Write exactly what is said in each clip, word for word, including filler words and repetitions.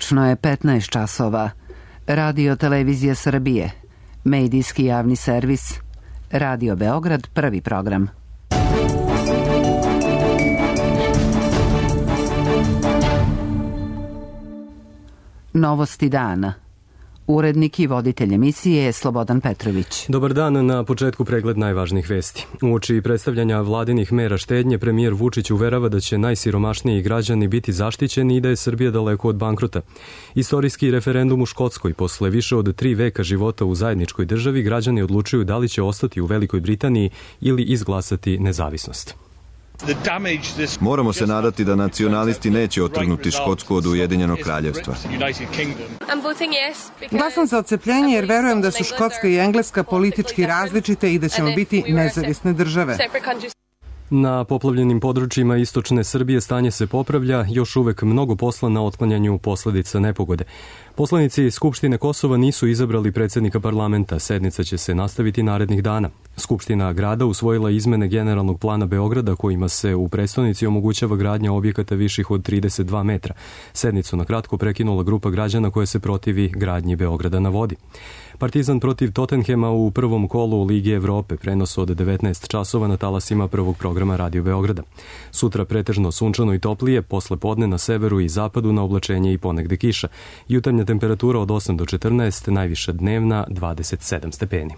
Tačno je petnaest časova. Radio Televizija Srbije. Medijski javni servis. Radio Beograd, prvi program. Novosti dana. Urednik i voditelj emisije je Slobodan Petrović. Dobar dan, na početku pregled najvažnijih vesti. Uoči predstavljanja vladinih mera štednje, premijer Vučić uverava da će najsiromašniji građani biti zaštićeni i da je Srbija daleko od bankrota. Istorijski referendum u Škotskoj. Posle više od tri veka života u zajedničkoj državi, građani odlučuju da li će ostati u Velikoj Britaniji ili izglasati nezavisnost. Moramo se nadati da nacionalisti neće otrgnuti Škotsku od Ujedinjenog kraljevstva. Glasam za odcepljenje jer verujem da su Škotska i Engleska politički različite i da ćemo biti nezavisne države. Na poplavljenim područjima istočne Srbije stanje se popravlja, još uvek mnogo posla na otklanjanju posledica nepogode. Poslanici Skupštine Kosova nisu izabrali predsjednika parlamenta, sednica će se nastaviti narednih dana. Skupština grada usvojila izmene generalnog plana Beograda kojima se u prestonici omogućava gradnja objekata viših od trideset dva metra. Sednicu na kratko prekinula grupa građana koja se protivi gradnji Beograda na vodi. Partizan protiv Tottenhema u prvom kolu Lige Evrope, prenos od devetnaest časova na talasima prvog programa Radio Beograda. Sutra pretežno sunčano i toplije, posle podne na severu i zapadu na oblačenje i ponegde kiša. Jutarnja temperatura od osam do četrnaest, najviša dnevna dvadeset sedam stepeni.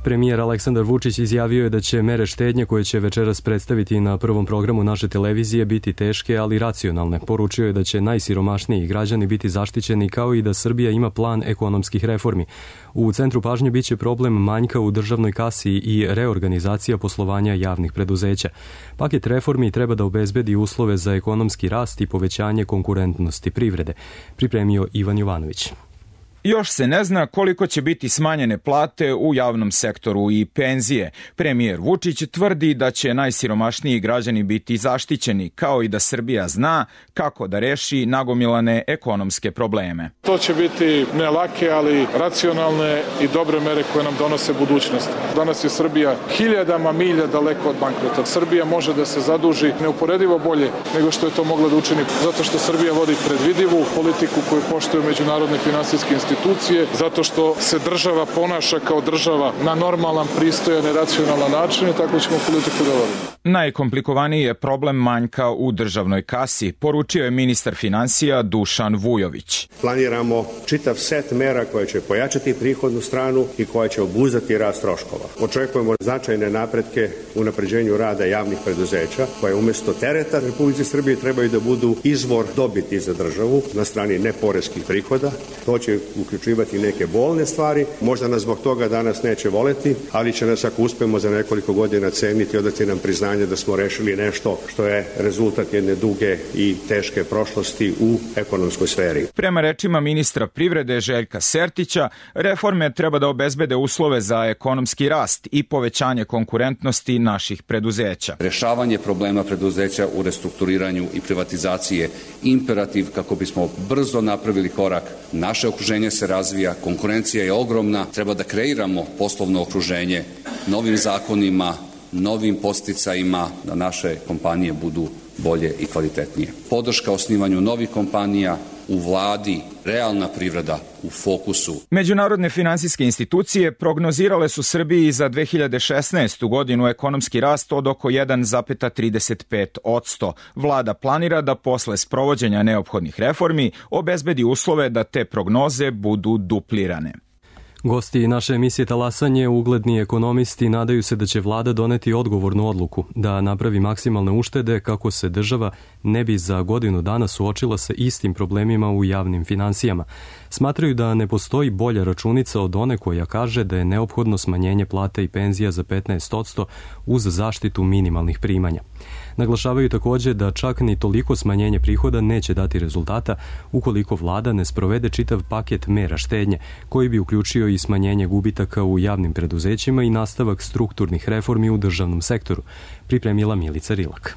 Premijer Aleksandar Vučić izjavio je da će mere štednje koje će večeras predstaviti na prvom programu naše televizije biti teške, ali racionalne. Poručio je da će najsiromašniji građani biti zaštićeni kao i da Srbija ima plan ekonomskih reformi. U centru pažnje biće problem manjka u državnoj kasi i reorganizacija poslovanja javnih preduzeća. Paket reformi treba da obezbedi uslove za ekonomski rast i povećanje konkurentnosti privrede, pripremio Ivan Jovanović. Još se ne zna koliko će biti smanjene plate u javnom sektoru i penzije. Premijer Vučić tvrdi da će najsiromašniji građani biti zaštićeni, kao i da Srbija zna kako da reši nagomilane ekonomske probleme. To će biti ne lake, ali racionalne i dobre mere koje nam donose budućnost. Danas je Srbija hiljadama milja daleko od bankrota. Srbija može da se zaduži neuporedivo bolje nego što je to mogla da učini, zato što Srbija vodi predvidivu politiku koju poštuju međunarodne finansijske institucije, zato što se država ponaša kao država na normalan, pristojan i racionalan način i tako ćemo politiku da vodimo. Najkomplikovaniji je problem manjka u državnoj kasi, poručio je ministar finansija Dušan Vujović. Planiramo čitav set mera koje će pojačati prihodnu stranu i koja će obuzdati rast troškova. Očekujemo značajne napretke u unapređenju rada javnih preduzeća, koje umjesto tereta Republike Srbije trebaju da budu izvor dobiti za državu na strani neporeskih prihoda. To će uključivati neke bolne stvari, možda nas zbog toga danas neće voleti, ali će nas ako uspemo za nekoliko godina ceniti i odati nam priznanje da smo rešili nešto što je rezultat jedne duge i teške prošlosti u ekonomskoj sferi. Prema rečima ministra privrede Željka Sertića, reforme treba da obezbede uslove za ekonomski rast i povećanje konkurentnosti naših preduzeća. Rešavanje problema preduzeća u restrukturiranju i privatizaciji je imperativ kako bismo brzo napravili korak. Naše okruženje se razvija, konkurencija je ogromna, treba da kreiramo poslovno okruženje novim zakonima, novim podsticajima da naše kompanije budu bolje i kvalitetnije. Podrška osnivanju novih kompanija, u vladi, realna privreda u fokusu. Međunarodne finansijske institucije prognozirale su Srbiji za dve hiljade šesnaestu godinu ekonomski rast od oko jedan zarez trideset pet posto. Vlada planira da posle sprovođenja neophodnih reformi obezbedi uslove da te prognoze budu duplirane. Gosti naše emisije Talasanje, ugledni ekonomisti, nadaju se da će vlada doneti odgovornu odluku, da napravi maksimalne uštede kako se država ne bi za godinu dana suočila sa istim problemima u javnim finansijama. Smatraju da ne postoji bolja računica od one koja kaže da je neophodno smanjenje plata i penzija za petnaest posto uz zaštitu minimalnih primanja. Naglašavaju također da čak ni toliko smanjenje prihoda neće dati rezultata ukoliko vlada ne sprovede čitav paket mera štednje, koji bi uključio i smanjenje gubitaka u javnim preduzećima i nastavak strukturnih reformi u državnom sektoru, pripremila Milica Rilak.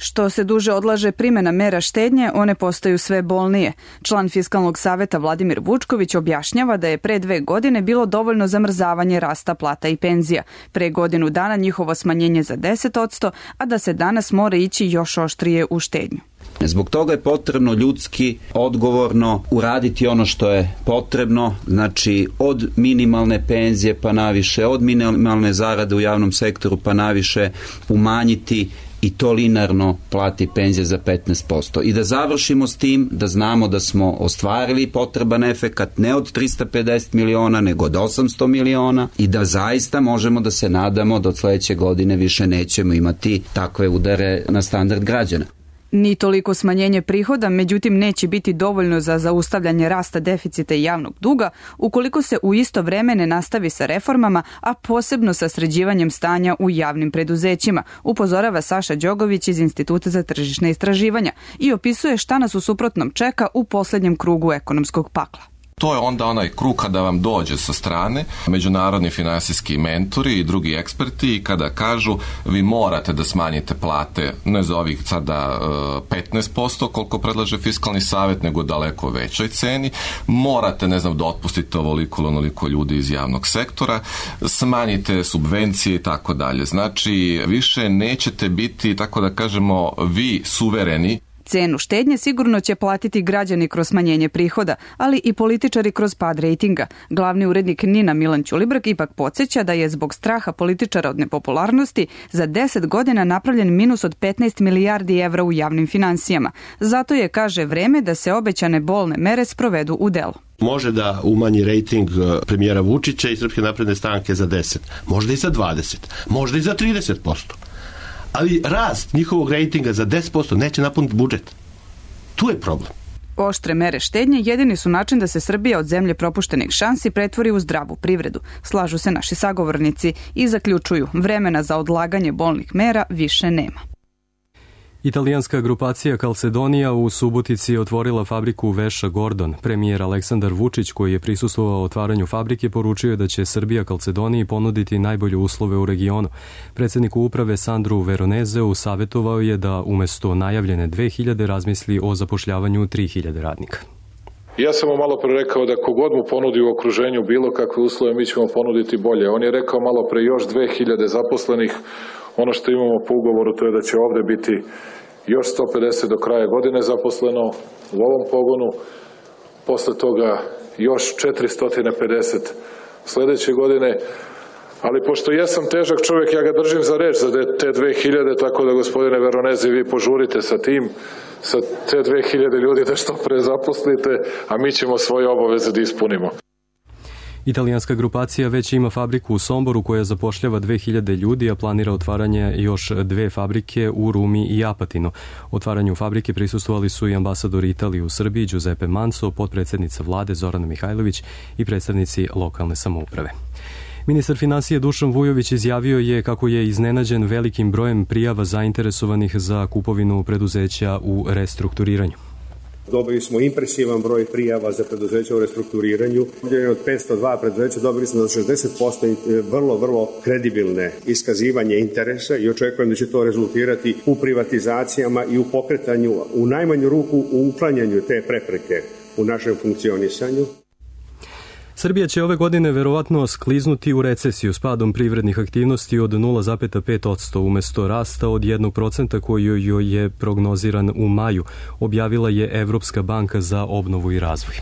Što se duže odlaže primjena mera štednje, one postaju sve bolnije. Član Fiskalnog saveta Vladimir Vučković objašnjava da je pre dve godine bilo dovoljno zamrzavanje rasta plata i penzija. Pre godinu dana njihovo smanjenje za deset posto, a da se danas mora ići još oštrije u štednju. Zbog toga je potrebno ljudski, odgovorno uraditi ono što je potrebno, znači od minimalne penzije pa naviše, od minimalne zarade u javnom sektoru pa naviše umanjiti i to linarno plati penzije za petnaest posto. I da završimo s tim, da znamo da smo ostvarili potreban efekat ne od trista pedeset miliona, nego od osamsto miliona i da zaista možemo da se nadamo da od sledeće godine više nećemo imati takve udare na standard građana. Ni toliko smanjenje prihoda, međutim, neće biti dovoljno za zaustavljanje rasta deficita i javnog duga ukoliko se u isto vreme ne nastavi sa reformama, a posebno sa sređivanjem stanja u javnim preduzećima, upozorava Saša Đogović iz Instituta za tržišne istraživanja i opisuje šta nas u suprotnom čeka u poslednjem krugu ekonomskog pakla. To je onda onaj krug kada vam dođe sa strane međunarodni finansijski mentori i drugi eksperti i kada kažu vi morate da smanjite plate ne za ovih sada petnaest posto koliko predlaže Fiskalni savet, nego daleko većoj ceni, morate ne znam da otpustite ovoliko ili onoliko ljudi iz javnog sektora, smanjite subvencije i tako dalje. Znači više nećete biti, tako da kažemo, vi suvereni. Cenu štednje sigurno će platiti građani kroz smanjenje prihoda, ali i političari kroz pad rejtinga. Glavni urednik Nina Milan Ćulibrk ipak podsjeća da je zbog straha političara od nepopularnosti za deset godina napravljen minus od petnaest milijardi evra u javnim finansijama. Zato je, kaže, vreme da se obećane bolne mere sprovedu u delo. Može da umanji rejting premijera Vučića i Srpske napredne stranke za deset, možda i za dvadeset, možda i za trideset posto. Ali rast njihovog rejtinga za deset posto neće napuniti budžet. Tu je problem. Oštre mere štednje jedini su način da se Srbija od zemlje propuštenih šansi pretvori u zdravu privredu. Slažu se naši sagovornici i zaključuju, vremena za odlaganje bolnih mera više nema. Italijanska grupacija Calcedonia u Subotici je otvorila fabriku veša Gordon. Premijer Aleksandar Vučić, koji je prisustvovao otvaranju fabrike, poručio je da će Srbija Calcedoniji ponuditi najbolje uslove u regionu. Predsjedniku uprave Sandru Veronezeu savjetovao je da umesto najavljene dve hiljade razmisli o zapošljavanju tri hiljade radnika. Ja sam mu malo pre rekao da kogod mu ponudi u okruženju bilo kakve uslove, mi ćemo ponuditi bolje. On je rekao malo pre još dve hiljade zaposlenih. Ono što imamo po ugovoru to je da će ovde biti još sto pedeset do kraja godine zaposleno u ovom pogonu, posle toga još četiristo pedeset sledeće godine, ali pošto jesam težak čovjek, ja ga držim za reč za te dve hiljade, tako da gospodine Veronezi vi požurite sa tim, sa te dve hiljade ljudi da što pre zaposlite, a mi ćemo svoje obaveze da ispunimo. Italijanska grupacija već ima fabriku u Somboru koja zapošljava dve hiljade ljudi, a planira otvaranje još dve fabrike u Rumi i Apatinu. Otvaranju fabrike prisustvovali su i ambasador Italije u Srbiji Giuseppe Manso, potpredsjednica vlade Zorana Mihajlović i predstavnici lokalne samouprave. Ministar finansija Dušan Vujović izjavio je kako je iznenađen velikim brojem prijava zainteresovanih za kupovinu preduzeća u restrukturiranju. Dobili smo impresivan broj prijava za preduzeća u restrukturiranju. Od petsto dva preduzeća dobili smo za šezdeset posto vrlo, vrlo kredibilne iskazivanje interesa i očekujem da će to rezultirati u privatizacijama i u pokretanju, u najmanju ruku u uklanjanju te prepreke u našem funkcionisanju. Srbija će ove godine verovatno skliznuti u recesiju s padom privrednih aktivnosti od nula zarez pet posto umesto rasta od jednog procenta koji joj je prognoziran u maju, objavila je Evropska banka za obnovu i razvoj.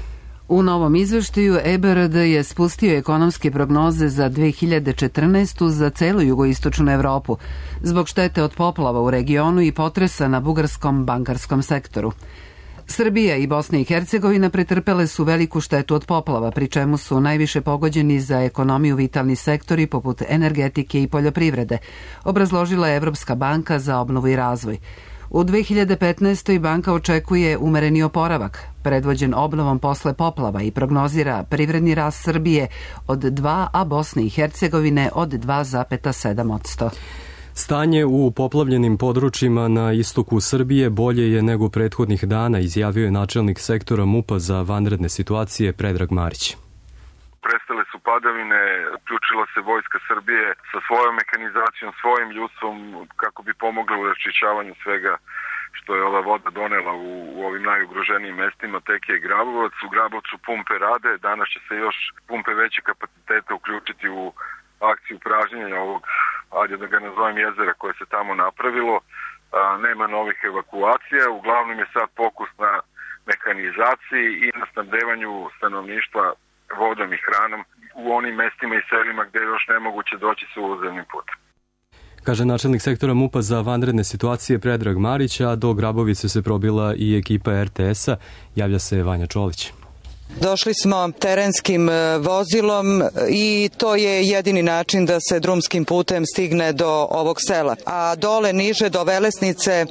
U novom izveštaju E B R D je spustio ekonomske prognoze za dve hiljade četrnaestu za celu jugoistočnu Evropu, zbog štete od poplava u regionu i potresa na bugarskom bankarskom sektoru. Srbija i Bosna i Hercegovina pretrpele su veliku štetu od poplava, pri čemu su najviše pogođeni za ekonomiju vitalni sektori poput energetike i poljoprivrede, obrazložila je Evropska banka za obnovu i razvoj. U dve hiljade petnaestoj banka očekuje umereni oporavak, predvođen obnovom posle poplava i prognozira privredni rast Srbije od dva, a Bosne i Hercegovine od dva zarez sedam posto. Stanje u poplavljenim područjima na istoku Srbije bolje je nego prethodnih dana, izjavio je načelnik sektora MUP-a za vanredne situacije Predrag Marić. Prestale su padavine uključila se Vojska Srbije sa svojom mehanizacijom, svojim ljudstvom kako bi pomogla u raščišćavanju svega što je ova voda donela u, u ovim najugroženijim mestima, Tekija i Grabovac. U Grabovcu pumpe rade, danas će se još pumpe veće kapacitete uključiti u akciju pražnjenja ovog, ajde da ga nazovem, jezera koje se tamo napravilo. A, nema novih evakuacija, uglavnom je sad fokus na mehanizaciji i na snabdevanju stanovništva vodom i hranom u onim mestima i selima gde je još nemoguće doći sa ulazevnim putem. Kaže načelnik sektora MUP-a za vanredne situacije Predrag Marić, a do Grabovice se probila i ekipa er te es-a. Javlja se Vanja Čolić. Došli smo terenskim vozilom i to je jedini način da se drumskim putem stigne do ovog sela. A dole niže do Velesnice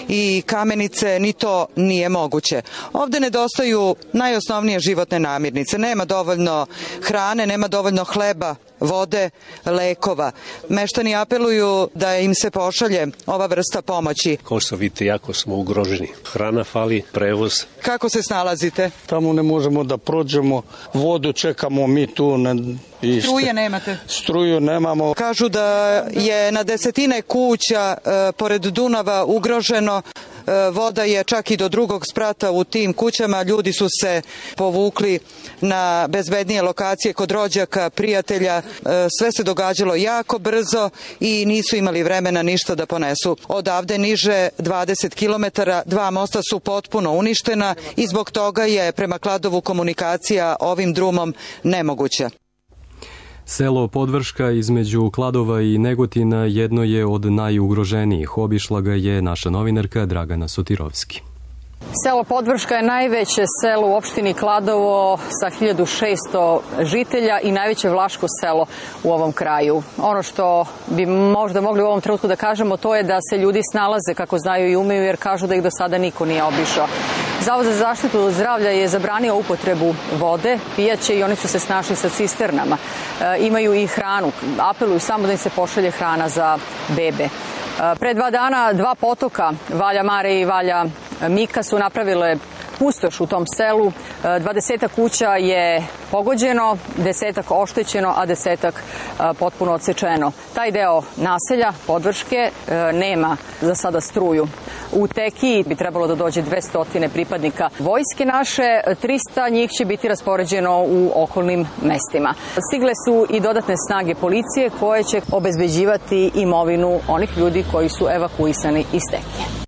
i Kamenice ni to nije moguće. Ovde nedostaju najosnovnije životne namirnice. Nema dovoljno hrane, nema dovoljno hleba, vode, lekova. Meštani apeluju da im se pošalje ova vrsta pomoći. Kao što vidite, jako smo ugroženi. Hrana fali, prevoz. Kako se snalazite? Tamo ne možemo da prođemo, vodu čekamo mi tu. Na... Struje nemate? Struju nemamo. Kažu da je na desetine kuća e, pored Dunava ugroženo. E, voda je čak i do drugog sprata u tim kućama. Ljudi su se povukli na bezbednije lokacije kod rođaka, prijatelja. E, sve se događalo jako brzo i nisu imali vremena ništa da ponesu. Odavde niže dvadeset kilometara, dva mosta su potpuno uništena i zbog toga je prema Kladovu komunikacija ovim drumom nemoguća. Selo Podvrška između Kladova i Negotina jedno je od najugroženijih. Obišla ga je naša novinarka Dragana Sotirovski. Selo Podvrška je najveće selo u opštini Kladovo sa hiljadu šesto žitelja i najveće vlaško selo u ovom kraju. Ono što bi možda mogli u ovom trenutku da kažemo, to je da se ljudi snalaze kako znaju i umeju, jer kažu da ih do sada niko nije obišao. Zavod za zaštitu zdravlja je zabranio upotrebu vode, pijaće, i oni su se snašli sa cisternama. E, imaju i hranu, apeluju samo da im se pošalje hrana za bebe. E, pre dva dana dva potoka, Valja Mare i Valja Mika, su napravile pustoš u tom selu. Dvadesetak kuća je pogođeno, desetak oštećeno, a desetak potpuno odsečeno. Taj deo naselja Podvrške nema za sada struju. U Tekiji bi trebalo da dođe dvesta pripadnika vojske naše, trista njih će biti raspoređeno u okolnim mestima. Stigle su i dodatne snage policije koje će obezbeđivati imovinu onih ljudi koji su evakuisani iz Tekije.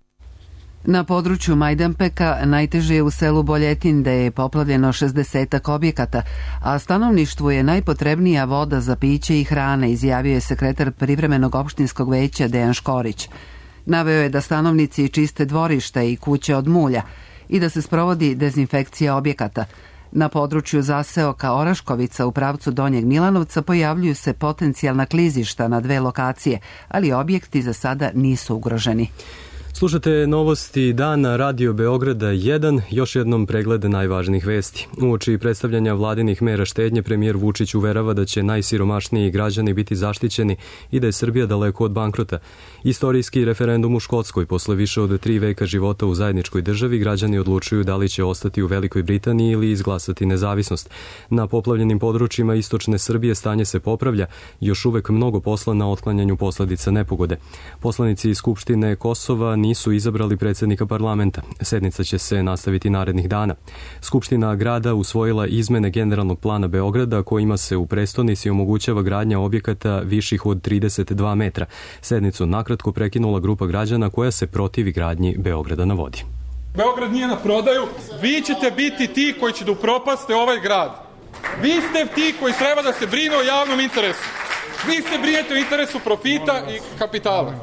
Na području Majdanpeka najteže je u selu Boljetin, gde je poplavljeno šezdesetak objekata, a stanovništvu je najpotrebnija voda za piće i hrane, izjavio je sekretar privremenog opštinskog veća Dejan Škorić. Naveo je da stanovnici čiste dvorišta i kuće od mulja i da se sprovodi dezinfekcija objekata. Na području zaseoka Oraškovica u pravcu Donjeg Milanovca pojavljuju se potencijalna klizišta na dve lokacije, ali objekti za sada nisu ugroženi. Slušate novosti dana Radio Beograda jedan, još jednom pregled najvažnijih vesti. Uoči predstavljanja vladinih mera štednje, premijer Vučić uverava da će najsiromašniji građani biti zaštićeni i da je Srbija daleko od bankrota. Istorijski referendum u Škotskoj, posle više od tri veka života u zajedničkoj državi, građani odlučuju da li će ostati u Velikoj Britaniji ili izglasati nezavisnost. Na poplavljenim područjima istočne Srbije stanje se popravlja, još uvek mnogo posla na otklanjanju posledica nepogode. Poslanici iz Skupštine Kosova nisu izabrali predsjednika parlamenta. Sednica će se nastaviti narednih dana. Skupština grada usvojila izmene generalnog plana Beograda kojima se u prestonici omogućava gradnja objekata viših od trideset dva metra. Sednicu nakratko prekinula grupa građana koja se protivi gradnji Beograda na vodi. Beograd nije na prodaju. Vi ćete biti ti koji će da upropaste ovaj grad. Vi ste ti koji treba da se brine o javnom interesu. Vi se brinete o interesu profita i kapitala.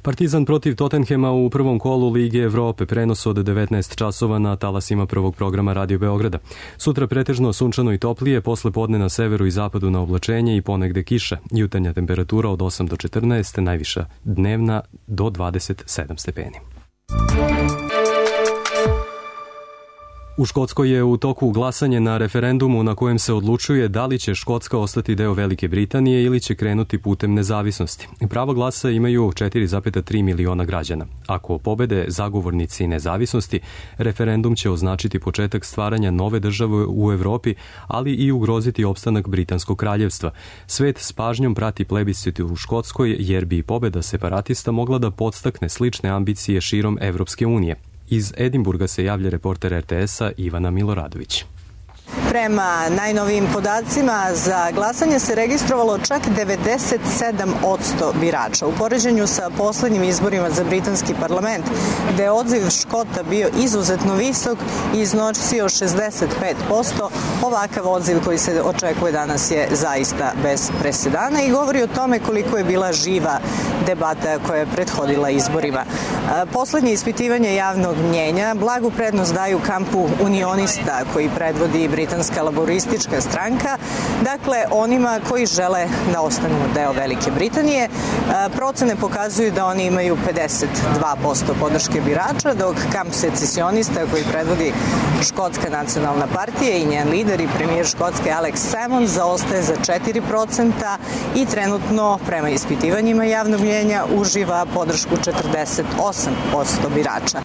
Partizan protiv Tottenhema u prvom kolu Lige Evrope, prenos od devetnaest časova na talasima prvog programa Radio Beograda. Sutra pretežno sunčano i toplije, posle podne na severu i zapadu na oblačenje i ponegde kiša. Jutarnja temperatura od osam do četrnaest, najviša dnevna do dvadeset sedam stepeni. U Škotskoj je u toku glasanje na referendumu na kojem se odlučuje da li će Škotska ostati deo Velike Britanije ili će krenuti putem nezavisnosti. Pravo glasa imaju četiri zarez tri miliona građana. Ako pobede zagovornici nezavisnosti, referendum će označiti početak stvaranja nove države u Evropi, ali i ugroziti opstanak Britanskog kraljevstva. Svet s pažnjom prati plebiscit u Škotskoj jer bi pobeda separatista mogla da podstakne slične ambicije širom Evropske unije. Iz Edinburga se javlja reporter er te esa Ivana Miloradović. Prema najnovijim podacima za glasanje se registrovalo čak devedeset sedam posto birača. U poređenju sa poslednjim izborima za britanski parlament, gde je odziv Škota bio izuzetno visok i iznosio šezdeset pet posto, ovakav odziv koji se očekuje danas je zaista bez presedana i govori o tome koliko je bila živa debata koja je prethodila izborima. Poslednje ispitivanje javnog mnjenja blagu prednost daju kampu unionista koji predvodi britanska laboristička stranka, dakle onima koji žele da ostanu deo Velike Britanije. Procene pokazuju da oni imaju pedeset dva posto podrške birača, dok kamp secesionista koji predvodi Škotska nacionalna partija i njen lider i premijer Škotske Alex Salmond zaostaje za četiri procenta i trenutno prema ispitivanjima javnog mnjenja uživa podršku četrdeset osam posto birača.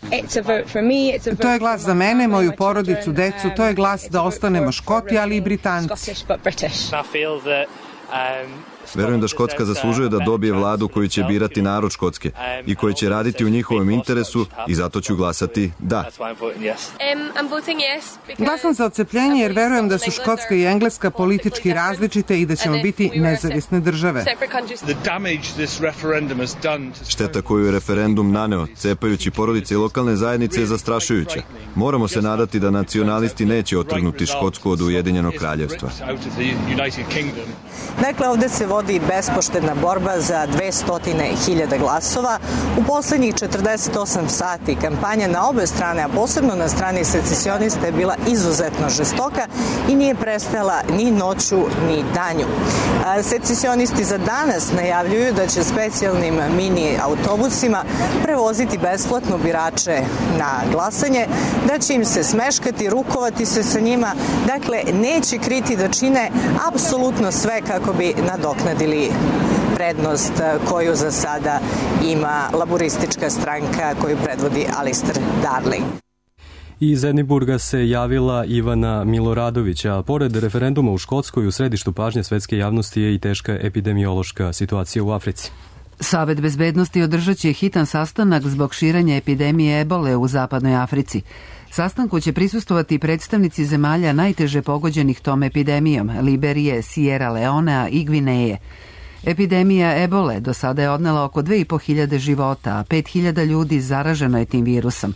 To je glas za mene, moju porodicu, decu, to je glas da ostanemo Škoti, ali i Britanci. Verujem da Škotska zaslužuje da dobije vladu koju će birati narod Škotske i koji će raditi u njihovom interesu i zato ću glasati da. Glasam za odcepljenje jer verujem da su Škotska i Engleska politički različite i da ćemo biti nezavisne države. Šteta koju je referendum naneo, cepajući porodice i lokalne zajednice, je zastrašujuća. Moramo se nadati da nacionalisti neće otrgnuti Škotsku od Ujedinjenog kraljevstva. Dakle, ovde se vodi bespoštedna borba za dvesta hiljada glasova. U poslednjih četrdeset osam sati kampanja na obe strane, a posebno na strani secesionista, je bila izuzetno žestoka i nije prestala ni noću ni danju. Secesionisti za danas najavljuju da će specijalnim mini autobusima prevoziti besplatno birače na glasanje, da će im se smeškati, rukovati se sa njima, dakle neće kriti da čine apsolutno sve kako bi nadoknadili prednost koju za sada ima laboristička stranka koju predvodi Alistair Darling. Iz Edinburga se javila Ivana Miloradović, a pored referenduma u Škotskoj u središtu pažnje svetske javnosti je i teška epidemiološka situacija u Africi. Savet bezbednosti održat će hitan sastanak zbog širenja epidemije ebole u zapadnoj Africi. Sastanku će prisustovati predstavnici zemalja najteže pogođenih tom epidemijom, Liberije, Sierra Leonea i Gvineje. Epidemija ebole do sada je odnela oko dve i po hiljade života, a pet hiljada ljudi zaraženo je tim virusom.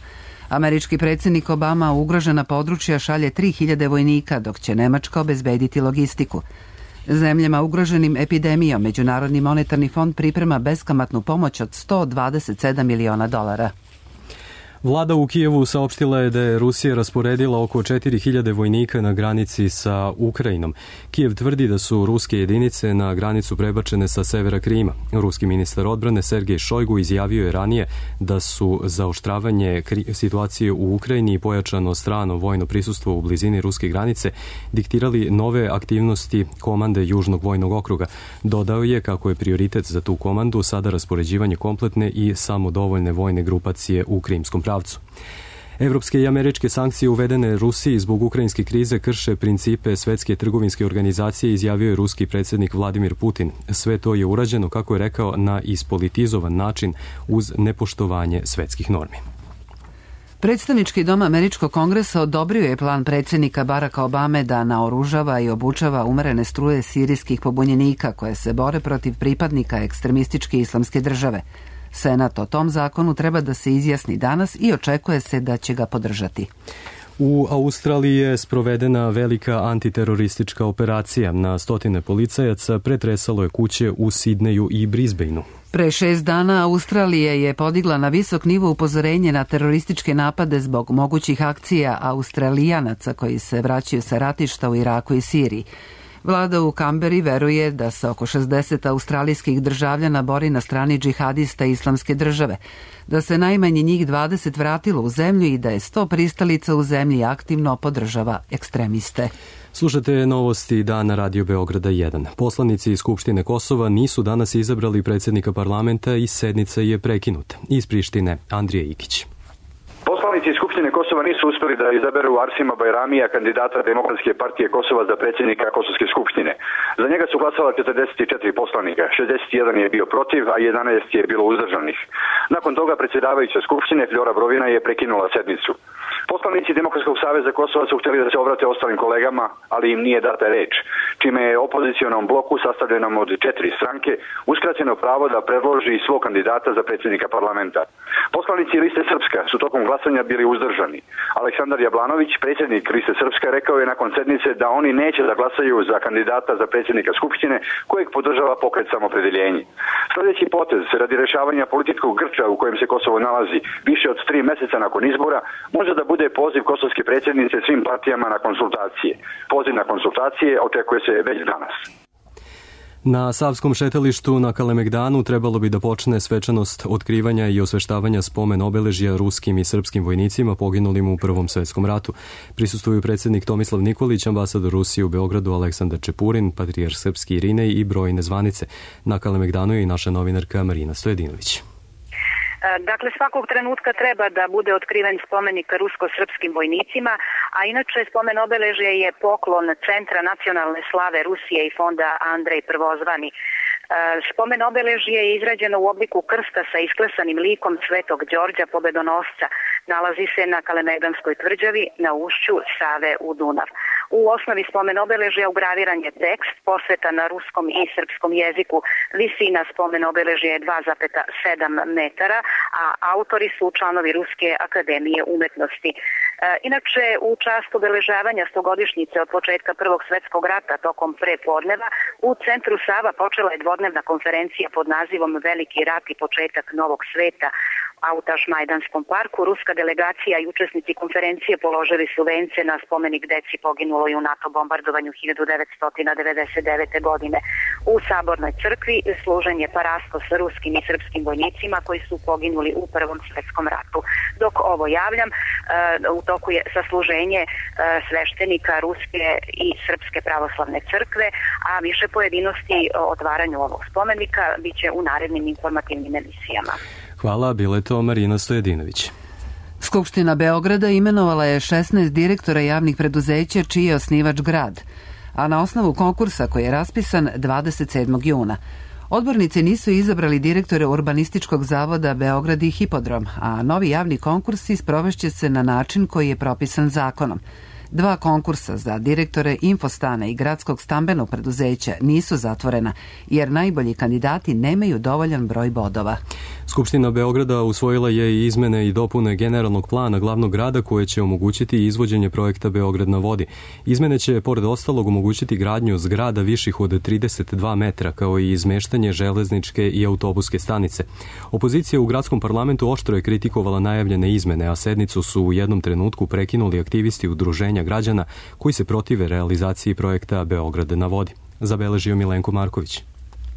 Američki predsjednik Obama u ugrožena područja šalje tri hiljade vojnika, dok će Nemačka obezbediti logistiku. Zemljama ugroženim epidemijom Međunarodni monetarni fond priprema beskamatnu pomoć od sto dvadeset sedam miliona dolara. Vlada u Kijevu saopštila je da je Rusija rasporedila oko četiri hiljade vojnika na granici sa Ukrajinom. Kijev tvrdi da su ruske jedinice na granicu prebačene sa severa Krima. Ruski ministar odbrane Sergej Šojgu izjavio je ranije da su zaoštravanje situacije u Ukrajini i pojačano strano vojno prisustvo u blizini ruske granice diktirali nove aktivnosti komande Južnog vojnog okruga. Dodao je kako je prioritet za tu komandu sada raspoređivanje kompletne i samodovoljne vojne grupacije u krimskom pravcu. Evropske i američke sankcije uvedene Rusiji zbog ukrajinske krize krše principe Svetske trgovinske organizacije, izjavio je ruski predsjednik Vladimir Putin. Sve to je urađeno, kako je rekao, na ispolitizovan način uz nepoštovanje svetskih normi. Predstavnički dom Američkog kongresa odobrio je plan predsjednika Baracka Obame da naoružava i obučava umerene struje sirijskih pobunjenika koje se bore protiv pripadnika ekstremističke islamske države. Senat o tom zakonu treba da se izjasni danas i očekuje se da će ga podržati. U Australiji je sprovedena velika antiteroristička operacija. Na stotine policajaca pretresalo je kuće u Sidneju i Brisbaneu. Pre šest dana Australija je podigla na visok nivo upozorenje na terorističke napade zbog mogućih akcija Australijanaca koji se vraćaju sa ratišta u Iraku i Siriji. Vlada u Kamberi veruje da se oko šezdeset australijskih državljana bori na strani džihadista Islamske države, da se najmanje njih dvadeset vratilo u zemlju i da je sto pristalica u zemlji aktivno podržava ekstremiste. Slušate novosti dana Radio Beograda jedan. Poslanici iz Skupštine Kosova nisu danas izabrali predsjednika parlamenta i sednica je prekinuta. Iz Prištine, Andrija Ikić. Poslanici iz Skupštine Kosova nisu uspeli da izaberu Arsima Bajramija, kandidata Demokratske partije Kosova za predsjednika Kosovske skupštine. Za njega su glasala četrdeset četiri poslanika, šezdeset jedan je bio protiv, a jedanaest je bilo uzdržanih. Nakon toga predsjedavajuća Skupštine Fljora Brovina je prekinula sednicu. Poslanici Demokratskog saveza Kosova su htjeli da se obrate ostalim kolegama, ali im nije data reč, čime je opozicionom bloku sastavljenom od četiri stranke uskraćeno pravo da predloži svog kandidata za predsjednika parlamenta. Poslanici Liste Srpska su tokom glasanja bili uzdržani. Aleksandar Jablanović, predsjednik Liste Srpska, rekao je nakon sednice da oni neće da glasaju za kandidata za predsjednika Skupštine kojeg podržava pokret Samopredeljenje. Sljedeći potez radi rješavanja političkog grča u kojem se Kosovo nalazi više od tri mjeseca nakon izbora može da bude poziv kosovske predsjednice svim partijama na konsultacije. Poziv na konsultacije očekuje se već danas. Na Savskom šetalištu na Kalemegdanu trebalo bi da počne svečanost otkrivanja i osveštavanja spomen obeležja ruskim i srpskim vojnicima poginulim u Prvom svetskom ratu. Prisustvuju predsjednik Tomislav Nikolić, ambasador Rusije u Beogradu Aleksandar Čepurin, patrijarh srpski Irinej i brojne zvanice. Na Kalemegdanu je i naša novinarka Marina Stojedinović. Dakle, svakog trenutka treba da bude otkriven spomenik rusko-srpskim vojnicima, a inače spomen obeležje je poklon Centra nacionalne slave Rusije i fonda Andrej Prvozvani. Spomen obeležje je izrađeno u obliku krsta sa isklesanim likom Svetog Đorđa Pobedonosca. Nalazi se na Kalemegdanskoj tvrđavi na ušću Save u Dunav. U osnovi spomen obeležja ugraviran je tekst, posveta na ruskom i srpskom jeziku. Visina spomen obeležja je dva zarez sedam metara, a autori su članovi Ruske akademije umetnosti. E, inače, u čast obeležavanja stogodišnjice od početka Prvog svjetskog rata tokom prepodneva, u centru Sava počela je dvodnevna konferencija pod nazivom Veliki rat i početak novog sveta. A u Tašmajdanskom parku ruska delegacija i učesnici konferencije položili su vence na spomenik deci poginuloj u NATO bombardovanju hiljadu devetsto devedeset devete. godine. U Sabornoj crkvi služen je parasto sa ruskim i srpskim vojnicima koji su poginuli u Prvom svjetskom ratu. Dok ovo javljam, u toku je sasluženje sveštenika Ruske i Srpske pravoslavne crkve, a više pojedinosti o otvaranju ovog spomenika bit će u narednim informativnim emisijama. Hvala, bila je to Marina Stojedinović. Skupština Beograda imenovala je šesnaest direktora javnih preduzeća čiji je osnivač grad, a na osnovu konkursa koji je raspisan dvadeset sedmog juna. Odbornici nisu izabrali direktore Urbanističkog zavoda Beograd i Hipodrom, a novi javni konkursi sprovešće se na način koji je propisan zakonom. Dva konkursa za direktore Infostana i Gradskog stambenog preduzeća nisu zatvorena, jer najbolji kandidati nemaju dovoljan broj bodova. Skupština Beograda usvojila je i izmene i dopune generalnog plana glavnog grada koje će omogućiti izvođenje projekta Beograd na vodi. Izmene će, pored ostalog, omogućiti gradnju zgrada viših od trideset dva metra, kao i izmeštanje železničke i autobuske stanice. Opozicija u gradskom parlamentu oštro je kritikovala najavljene izmene, a sednicu su u jednom trenutku prekinuli aktivisti udruženja građana koji se protive realizaciji projekta Beograd na vodi. Zabeležio Milenko Marković.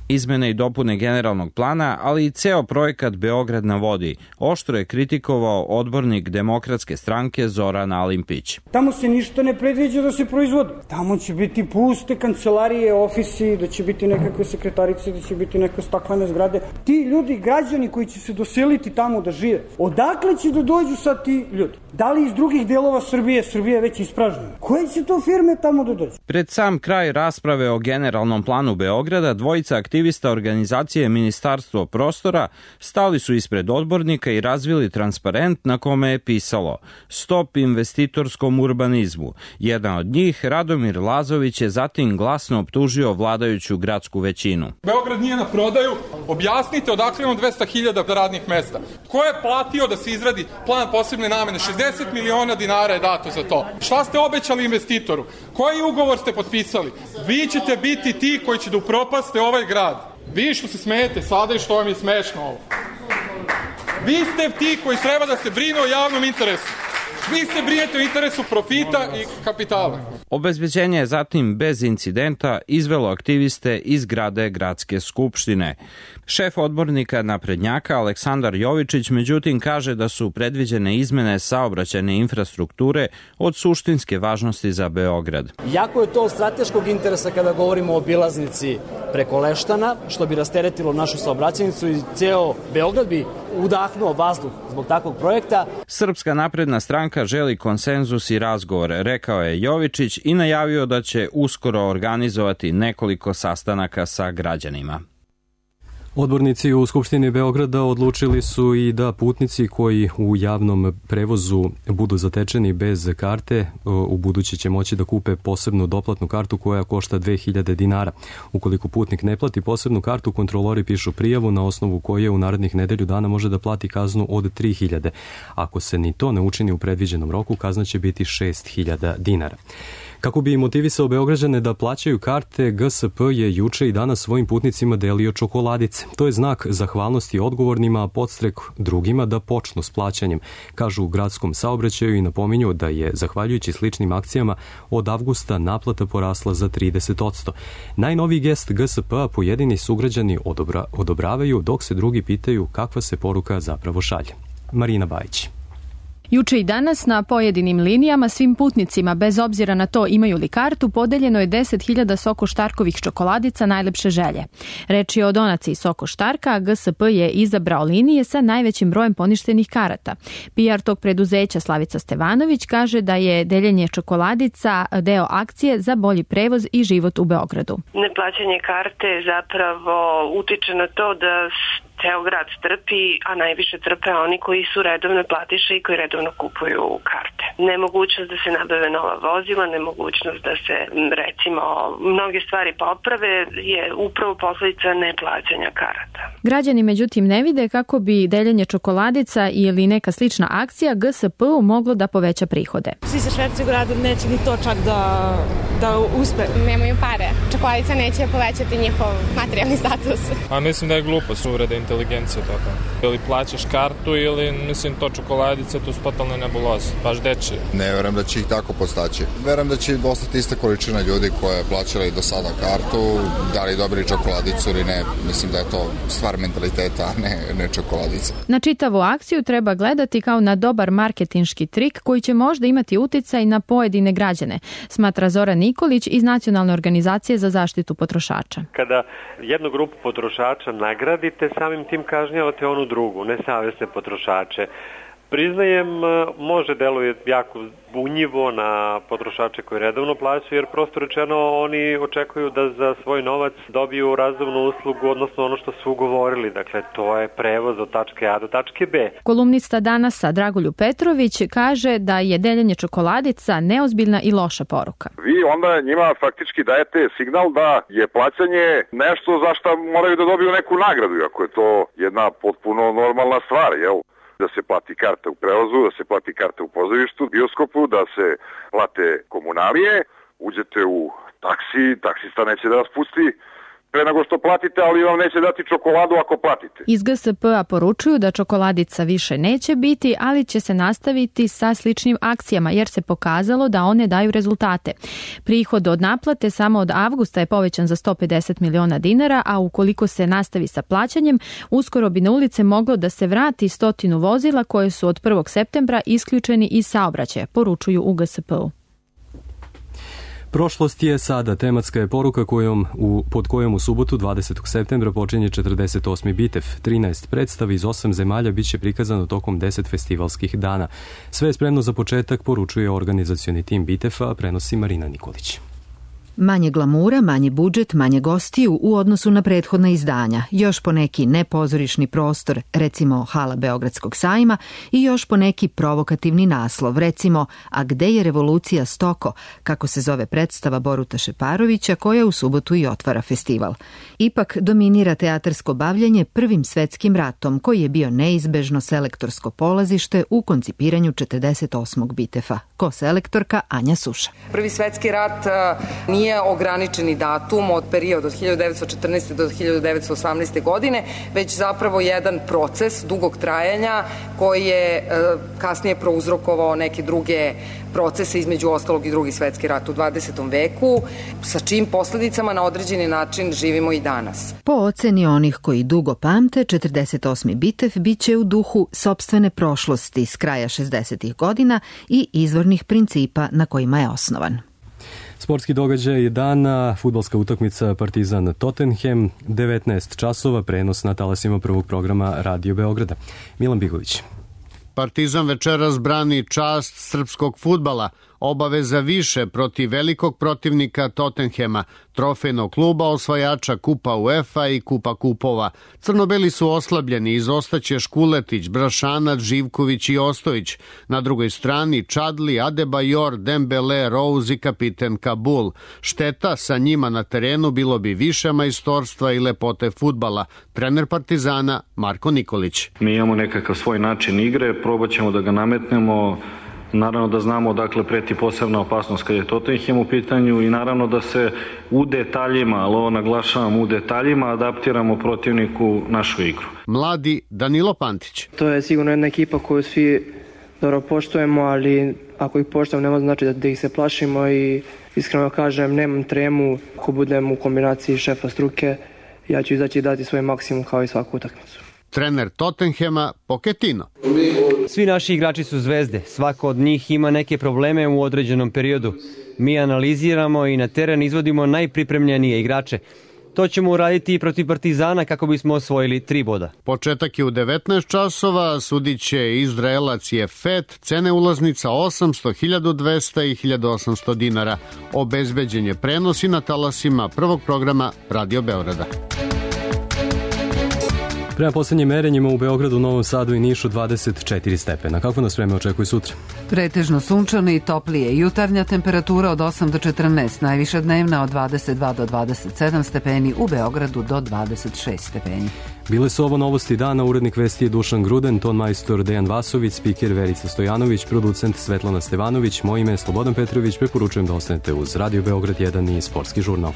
Izmene i dopune generalnog plana, ali i ceo projekat Beograd na vodi, oštro je kritikovao odbornik Demokratske stranke Zoran Alimpić. Tamo se ništa ne predviđa da se proizvodi. Tamo će biti puste kancelarije, ofisi, da će biti nekakve sekretarice, da će biti neke staklene zgrade. Ti ljudi, građani koji će se doseliti tamo da žive, odakle će da dođu sad ti ljudi? Da li iz drugih delova Srbije, Srbije već ispražnjena? Koje će to firme tamo da dođu? Pred sam kraj rasprave o generalnom planu Beograda, dvojica aktivista organizacije Ministarstvo prostora stali su ispred odbornika i razvili transparent na kome je pisalo Stop investitorskom urbanizmu. Jedan od njih, Radomir Lazović, je zatim glasno optužio vladajuću gradsku većinu. Beograd nije na prodaju, objasnite odakle imamo dvesta hiljada radnih mesta. Ko je platio da se izradi plan posebne namene? šezdeset miliona dinara je dato za to. Šta ste obećali investitoru? Koji ugovor ste potpisali? Vi ćete biti ti koji će da upropaste ovaj grad. Vi što se smijete sada i što vam je smešno ovo. Vi ste ti koji treba da se brinu o javnom interesu. Vi se brinete o interesu profita i kapitala. Obezbeđenje je zatim bez incidenta izvelo aktiviste iz zgrade Gradske skupštine. Šef odbornika naprednjaka Aleksandar Jovičić međutim kaže da su predviđene izmene saobraćajne infrastrukture od suštinske važnosti za Beograd. Jako je to od strateškog interesa kada govorimo o obilaznici preko Leštana, što bi rasteretilo našu saobraćajnicu i ceo Beograd bi udahnuo vazduh zbog takvog projekta. Srpska napredna stranka želi konsenzus i razgovor, rekao je Jovičić i najavio da će uskoro organizovati nekoliko sastanaka sa građanima. Odbornici u Skupštini Beograda odlučili su i da putnici koji u javnom prevozu budu zatečeni bez karte, u budući će moći da kupe posebnu doplatnu kartu koja košta dve hiljade dinara. Ukoliko putnik ne plati posebnu kartu, kontrolori pišu prijavu na osnovu koje u narednih nedelju dana može da plati kaznu od tri hiljade. Ako se ni to ne učini u predviđenom roku, kazna će biti šest hiljada dinara. Kako bi motivisao Beograđane da plaćaju karte, G S P je juče i danas svojim putnicima delio čokoladice. To je znak zahvalnosti odgovornima, a podstrek drugima da počnu s plaćanjem, kažu u gradskom saobraćaju i napominju da je, zahvaljujući sličnim akcijama, od avgusta naplata porasla za trideset posto. Najnoviji gest G S P-a pojedini sugrađani odobra, odobravaju, dok se drugi pitaju kakva se poruka zapravo šalje. Marina Bajić. Juče i danas na pojedinim linijama svim putnicima, bez obzira na to imaju li kartu, podeljeno je deset hiljada Soko Štarkovih čokoladica najlepše želje. Reč je o donaciji Soko Štarka, a G S P je izabrao linije sa najvećim brojem poništenih karata. P R tog preduzeća Slavica Stevanović kaže da je deljenje čokoladica deo akcije za bolji prevoz i život u Beogradu. Neplaćanje karte zapravo utiče na to da ceo grad trpi, a najviše trpe oni koji su redovne platiše i koji redovno kupuju karte. Nemogućnost da se nabave nova vozila, nemogućnost da se, recimo, mnoge stvari poprave je upravo posledica neplaćanja karata. Građani međutim ne vide kako bi deljenje čokoladica ili neka slična akcija G S P-u moglo da poveća prihode. Svi se šverci u gradu, neće ni to čak da, da uspe. Nemaju pare. Čokoladica neće povećati njihov materijalni status. A mislim da je glupost uvreda inteligencije toga. Ili plaćaš kartu ili, mislim, to čokoladice, to su totalne nebuloze, baš dečije. Ne verujem da će ih tako postaći. Verujem da će ostati ista količina ljudi koja je plaćala i do sada kartu, da li dobili čokoladicu ili ne. Mislim da je to stvar mentaliteta, a ne, ne čokoladica. Na čitavu akciju treba gledati kao na dobar marketinški trik koji će možda imati uticaj na pojedine građane, smatra Zoran Nikolić iz Nacionalne organizacije za zaštitu potrošača. Kada jednu grupu potrošača nagradite, samim tim kažnjavate onu drugu, nesavesne potrošače. Priznajem, može deluje jako bunjivo na potrošače koji redovno plaćaju, jer prosto rečeno oni očekuju da za svoj novac dobiju razumnu uslugu, odnosno ono što su ugovorili. Dakle, to je prevoz od tačke A do tačke B. Kolumnista Danasa Dragoljub Petrović kaže da je deljenje čokoladica neozbiljna i loša poruka. Vi onda njima faktički dajete signal da je plaćanje nešto za što moraju da dobiju neku nagradu, ako je to jedna potpuno normalna stvar, jel? Da se plati karta u prevozu, da se plati karta u pozorištu, bioskopu, da se plate komunalije, uđete u taksi, taksista neće da vas pusti pre nego što platite, ali vam neće dati čokoladu ako platite. Iz G S P-a poručuju da čokoladica više neće biti, ali će se nastaviti sa sličnim akcijama, jer se pokazalo da one daju rezultate. Prihod od naplate samo od avgusta je povećan za sto pedeset miliona dinara, a ukoliko se nastavi sa plaćanjem, uskoro bi na ulice moglo da se vrati stotinu vozila koje su od prvog septembra isključeni iz saobraćaja, poručuju u G S P-u. Prošlost je sada, tematska je poruka kojom u, pod kojom u subotu dvadesetog septembra počinje četrdeset osmi Bitev. trinaest predstava iz osam zemalja biće prikazano tokom deset festivalskih dana. Sve je spremno za početak, poručuje organizacioni tim Bitefa, prenosi Marina Nikolić. Manje glamura, manji budžet, manje gostiju u odnosu na prethodna izdanja, još po neki nepozorišni prostor, recimo hala Beogradskog sajma, i još po neki provokativni naslov, recimo A gde je revolucija Stoko, kako se zove predstava Boruta Šeparovića koja u subotu i otvara festival. Ipak dominira teatarsko bavljanje Prvim svetskim ratom, koji je bio neizbežno selektorsko polazište u koncipiranju četrdeset osmog Bitefa. Ko selektorka Anja Suša. Prvi svetski rat nije nije ograničeni datum od perioda od hiljadu devetsto četrnaeste. do hiljadu devetsto osamnaeste. godine, već zapravo jedan proces dugog trajanja koji je kasnije prouzrokovao neke druge procese, između ostalog i Drugi svetski rat u dvadesetom veku, sa čim posledicama na određeni način živimo i danas. Po oceni onih koji dugo pamte, četrdeset osmi Bitev biće u duhu sopstvene prošlosti s kraja šezdesetih godina i izvornih principa na kojima je osnovan. Sportski događaj dana, fudbalska utakmica Partizan Tottenham, devetnaest časova, prenos na talasima prvog programa Radio Beograda. Milan Bigović. Partizan večeras brani čast srpskog fudbala, obaveza više protiv velikog protivnika Tottenhema, trofejnog kluba osvajača Kupa UEFA i Kupa kupova. Crnobeli su oslabljeni, izostaće Škuletić, Brašanac, Živković i Ostojić. Na drugoj strani Čadli, Adebayor, Dembele, Rose i kapiten Kabul. Šteta sa njima na terenu bilo bi više majstorstva i lepote fudbala. Trener Partizana Marko Nikolić. Mi imamo nekakav svoj način igre, probat ćemo da ga nametnemo. Naravno da znamo odakle preti posebna opasnost kad je Tottenham u pitanju i naravno da se u detaljima, ali ovo naglašavam, u detaljima adaptiramo protivniku našu igru. Mladi Danilo Pantić. To je sigurno jedna ekipa koju svi dobro poštujemo, ali ako ih poštujemo nema znači da, da ih se plašimo i iskreno kažem nemam tremu. Ako budem u kombinaciji šefa struke, ja ću izaći i dati svoj maksimum kao i svaku utakmicu. Trener Tottenhema Pochettino. Svi naši igrači su zvezde, svako od njih ima neke probleme u određenom periodu. Mi analiziramo i na teren izvodimo najpripremljenije igrače. To ćemo uraditi i protiv Partizana kako bismo osvojili tri boda. Početak je u devetnaest časova, sudit će Izraelac Jefet, cene ulaznica osamsto, hiljadu dvesta i hiljadu osamsto dinara. Obezbeđen je prenos i na talasima prvog programa Radio Beograda. Prema poslednjim merenjima u Beogradu, Novom Sadu i Nišu dvadeset četiri stepena. Kako nas vreme očekuje sutra? Pretežno sunčano i toplije. Jutarnja temperatura od osam do četrnaest, najviša dnevna od dvadeset dva do dvadeset sedam stepeni, u Beogradu do dvadeset šest stepeni. Bile su ovo novosti dana, urednik vesti je Dušan Gruden, ton majstor Dejan Vasović, spiker Verica Stojanović, producent Svetlana Stevanović, moje ime je Slobodan Petrović, preporučujem da ostanete uz Radio Beograd jedan i Sportski žurnal.